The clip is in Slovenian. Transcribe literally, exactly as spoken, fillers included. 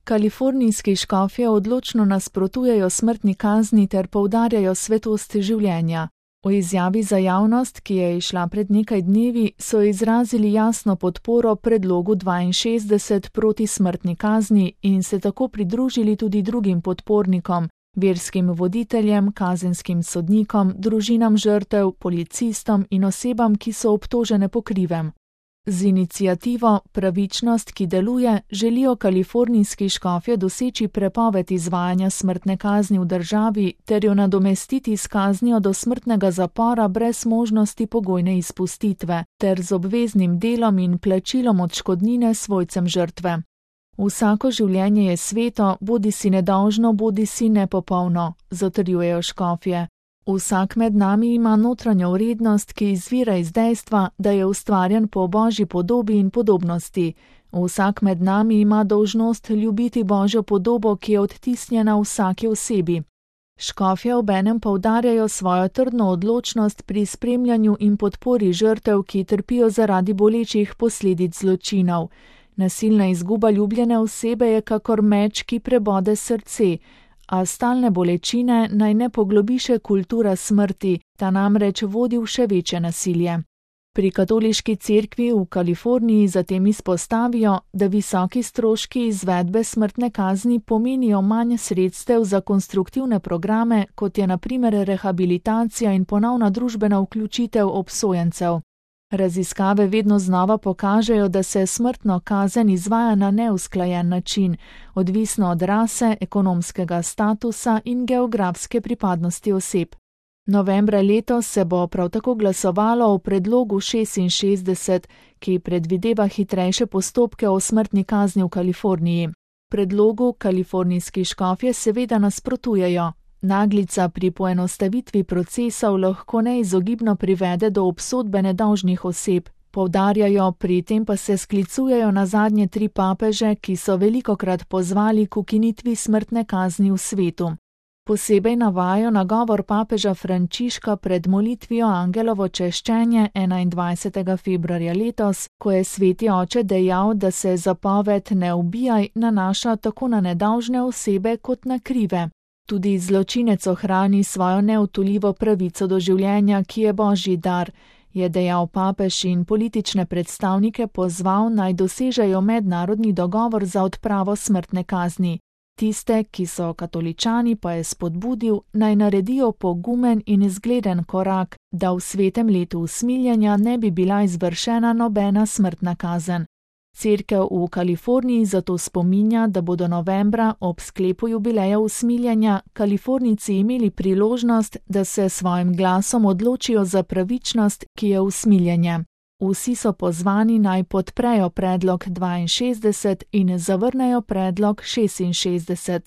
Kalifornijski škofje odločno nasprotujejo smrtni kazni ter poudarjajo svetost življenja. V izjavi za javnost, ki je izšla pred nekaj dnevi, so izrazili jasno podporo predlogu dvainšestdeset proti smrtni kazni in se tako pridružili tudi drugim podpornikom, verskim voditeljem, kazenskim sodnikom, družinam žrtev, policistom in osebam, ki so obtožene po krivem. Z iniciativo Pravičnost, ki deluje, želijo kalifornijski škofje doseči prepoved izvajanja smrtne kazni v državi ter jo nadomestiti s kaznijo do smrtnega zapora brez možnosti pogojne izpustitve ter z obveznim delom in plačilom odškodnine svojcem žrtve. Vsako življenje je sveto, bodisi nedolžno, bodisi nepopolno, zatrjujejo škofje. Vsak med nami ima notranjo vrednost, ki izvira iz dejstva, da je ustvarjen po Božji podobi in podobnosti. Vsak med nami ima dolžnost ljubiti Božjo podobo, ki je odtisnjena v vsaki osebi. Škofje obenem poudarjajo svojo trdno odločnost pri spremljanju in podpori žrtev, ki trpijo zaradi bolečih posledic zločinov. Nasilna izguba ljubljene osebe je kakor meč, ki prebode srce, a stalne bolečine naj ne poglobi še kultura smrti, ta namreč vodi v še večje nasilje. Pri katoliški cerkvi v Kaliforniji zatem izpostavijo, da visoki stroški izvedbe smrtne kazni pomenijo manj sredstev za konstruktivne programe, kot je na primer rehabilitacija in ponovna družbena vključitev obsojencev. Raziskave vedno znova pokažejo, da se smrtno kazen izvaja na neusklajen način, odvisno od rase, ekonomskega statusa in geografske pripadnosti oseb. Novembra letos se bo prav tako glasovalo o predlogu šestinšestdeset, ki predvideva hitrejše postopke o smrtni kazni v Kaliforniji. Predlogu kalifornijski škofje seveda nasprotujejo. Naglica pri poenostavitvi procesov lahko neizogibno privede do obsodbe nedolžnih oseb, poudarjajo, pri tem pa se sklicujejo na zadnje tri papeže, ki so velikokrat pozvali k ukinitvi smrtne kazni v svetu. Posebej navajajo nagovor papeža Frančiška pred molitvijo Angelovo češčenje enaindvajsetega februarja letos, ko je sveti oče dejal, da se zapoved ne ubijaj nanaša tako na nedolžne osebe kot na krive. Tudi zločinec ohrani svojo neodtujljivo pravico do življenja, ki je Božji dar, je dejal papež in politične predstavnike pozval, naj dosežejo mednarodni dogovor za odpravo smrtne kazni. Tiste, ki so katoličani, pa je spodbudil, naj naredijo pogumen in zgleden korak, da v svetem letu usmiljenja ne bi bila izvršena nobena smrtna kazen. Cerkev v Kaliforniji zato spominja, da bodo novembra ob sklepu jubileja usmiljenja Kalifornijci imeli priložnost, da se svojim glasom odločijo za pravičnost, ki je usmiljenje. Vsi so pozvani naj podprejo predlog dvainšestdeset in zavrnejo predlog šestinšestdeset.